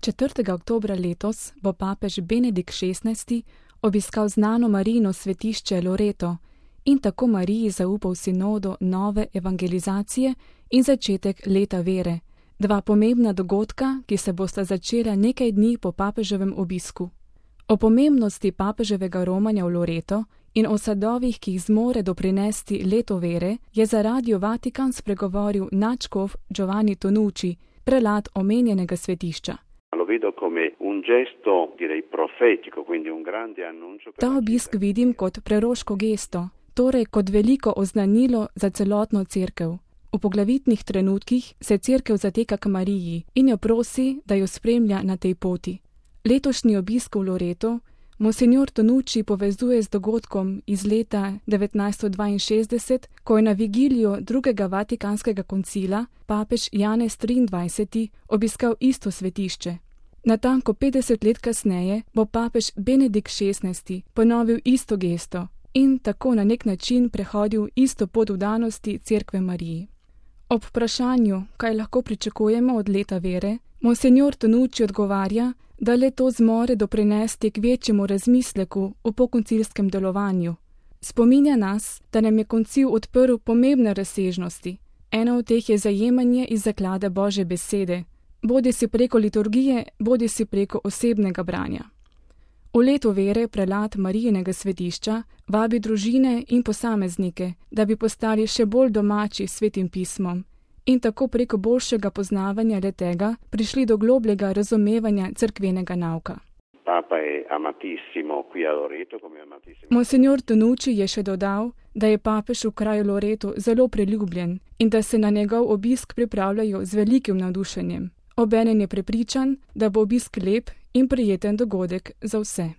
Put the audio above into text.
4. oktobra letos bo papež Benedikt XVI obiskal znano Marijino svetišče Loreto in tako Mariji zaupal sinodo nove evangelizacije in začetek leta vere, dva pomembna dogodka, ki se bosta začela nekaj dni po papeževem obisku. O pomembnosti papeževega romanja v Loreto in o sadovih, ki jih zmore doprinesti leto vere, je za Radio Vatikan spregovoril nadškof Giovanni Tonucci, prelat omenjenega svetišča. Ta obisk vidim kot preroško gesto, torej kot veliko oznanilo za celotno cerkev. V poglavitnih trenutkih se cerkev zateka k Mariji in jo prosi, da jo spremlja na tej poti. Letošnji obisk v Loreto monsignor Tonucci povezuje z dogodkom iz leta 1962, ko je na vigilijo drugega vatikanskega koncila papež Janez XXIII obiskal isto svetišče. Natanko 50 let kasneje bo papež Benedikt XVI ponovil isto gesto in tako na nek način prehodil isto pot vdanosti cerkve Mariji. Ob vprašanju, kaj lahko pričakujemo od leta vere, monsignor Tonucci odgovarja, da le to zmore doprinesti k večjemu razmisleku o pokoncilskem delovanju. Spominja nas, da nam je koncil odprl pomembne razsežnosti. Ena od teh je zajemanje iz zaklade Božje besede, bodisi preko liturgije, bodisi preko osebnega branja. V leto vere prelat Marijinega svetišča vabi družine in posameznike, da bi postali še bolj domači s Svetim pismom in tako preko boljšega poznavanja le-tega prišli do globljega razumevanja cerkvenega nauka. Monsignor Tonucci je še dodal, da je papež v kraju Loreto zelo priljubljen in da se na njegov obisk pripravljajo z velikim navdušenjem. Obenem je prepričan, da bo obisk lep in prijeten dogodek za vse.